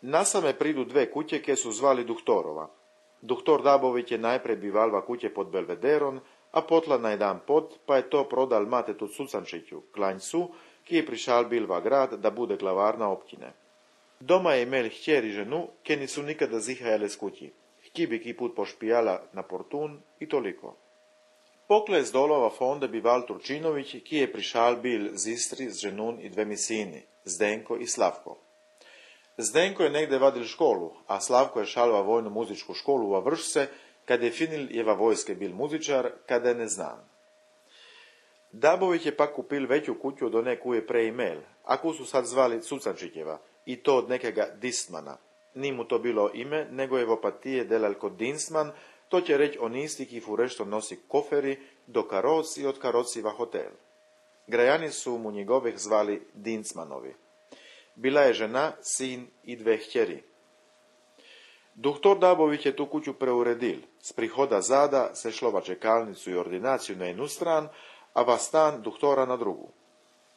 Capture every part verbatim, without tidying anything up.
Nasame pridu dve kutje, ke su zvali Duhtorova. Duhtor Dabović je najprej bivalva kutje pod Belvederon, a potla na jedan pot, pa je to prodal matetu Cucančiću, klanjcu, ki je prišal bil v grad, da bude glavarna općine. Doma je imel hćer i ženu, ke nisu nikada zihajale s kutji. Hti bi ki put pošpijala na portun i toliko. Pokle z dolova fonde bival Turčinović, ki je prišal bil z Istri z ženun i dvemi sini, Zdenko i Slavko. Zdenko je negde vadil školu, a Slavko je šal va vojnu muzičku školu va Vršce, kad je finil je va vojske bil muzičar, kada je ne znam. Dabović je pak kupil veću kutju od one koju je pre imel, a koju su sad zvali Cucančićeva, i to od nekega Distmana. Ni mu to bilo ime, nego je v opatije delal kod Dinstman, to će reći on isti ki furešto nosi koferi do karoc i od karoci va hotel. Grajani su mu njegovih zvali Dinstmanovi. Bila je žena, sin i dve hćeri. Duhtor Dabović je tu kuću preuredil. S prihoda zada se šlo va čekalnicu i ordinaciju na jednu stran, a va stan duhtora na drugu.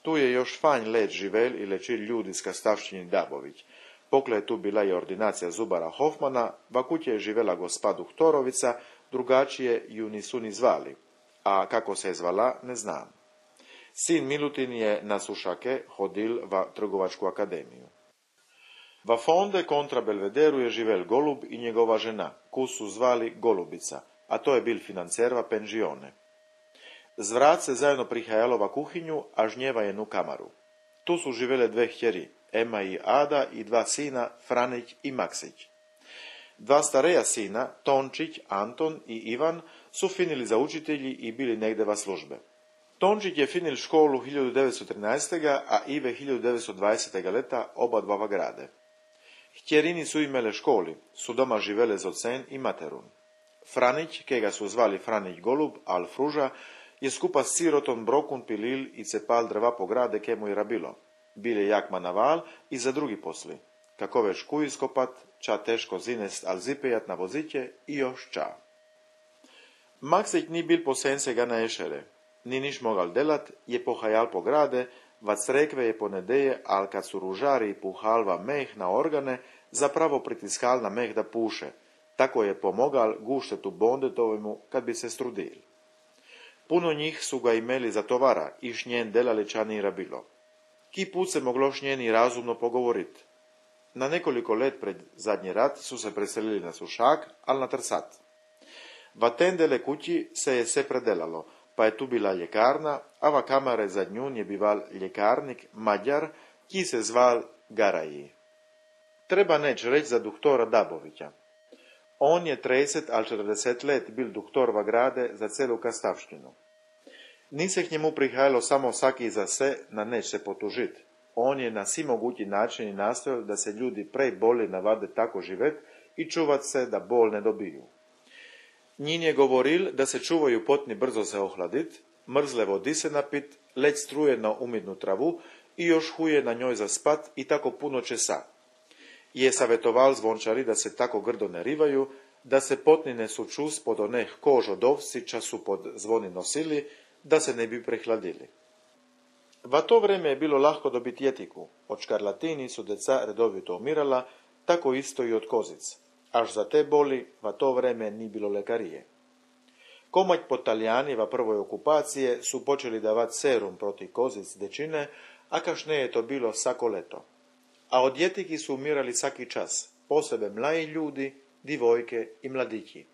Tu je još fanj let živel i lečil ljudi s kastavšćini Dabović. Pokle je tu bila i ordinacija zubara Hofmana, va kuće je živela gospa Duhtorovica, drugačije ju nisu ni zvali, a kako se je zvala ne znam. Sin Milutin je na Sušake hodil va trgovačku akademiju. Va fonde kontra Belvederu je živel Golub i njegova žena, koju su zvali Golubica, a to je bil financer va penžione. Zvrat se zajedno prihajalo va kuhinju, a žnjeva jednu kamaru. Tu su živele dve hćeri, Ema i Ada, i dva sina, Franić i Maksić. Dva stareja sina, Tončić, Anton i Ivan, su finili za učitelji i bili negde va službe. Tončić je finil školu hiljadu devetsto trinaeste. a Ive hiljadu devetsto dvadesete. leta oba dva va grade. Hćerini su imele školi, su doma živele z ocen i materun. Franić, kega su zvali Franić Golub, al Fruža, je skupa s sirotom brokun pilil i cepal drva po grade ke mu je rabilo. Bile jak manaval i za drugi posli. Kako već kuj iskopat, ča teško zinest al zipejat na voziće i još ča. Maksić ni bil posense ga na ešere. Ni niš mogal delat, je pohajal po grade, va crekve je ponedeje, al kad su ružari puhal va meh na organe, zapravo pritiskal na meh da puše. Tako je pomogal guštetu bondetovemu kad bi se strudil. Puno njih su ga imeli za tovara i šnjen delali ča ni rabilo. Ki put se moglo šnjeni razumno pogovorit. Na nekoliko let pred zadnji rat su se preselili na Sušak, al na Trsat. Va tendele kući se je se predelalo, pa je tu bila ljekarna, a va kamare za njun je bival ljekarnik Mađar, ki se zval Garaji. Treba neć reći za duhtora Dabovića. On je trideset al četrdeset let bil duhtor va grade za celu kastavštinu. Ni se k njemu prihajalo samo saki za se na neć se potužit. On je na svi mogući načini nastojao da se ljudi prej boli navade tako živet i čuvat se da bol ne dobiju. Njin je govoril da se čuvaju potni brzo se ohladit, mrzle vodi se napit, leć struje na umidnu travu i još huje na njoj zaspat i tako puno česa. Je savjetoval zvončari da se tako grdo ne rivaju, da se potni ne suču spod oneh kož od ovci ča su pod zvoni nosili, da se ne bi prehladili. Va to vreme je bilo lahko dobiti jetiku, od škarlatini su deca redovito umirala, tako isto i od kozic. Až za te boli va to vreme ni bilo lekarije. Komać po Talijani va prvoj okupacije su počeli davat serum proti kozic dečine, a kašne je to bilo sako leto. A od jetiki su umirali svaki čas, posebe mlaji ljudi, divojke i mladići.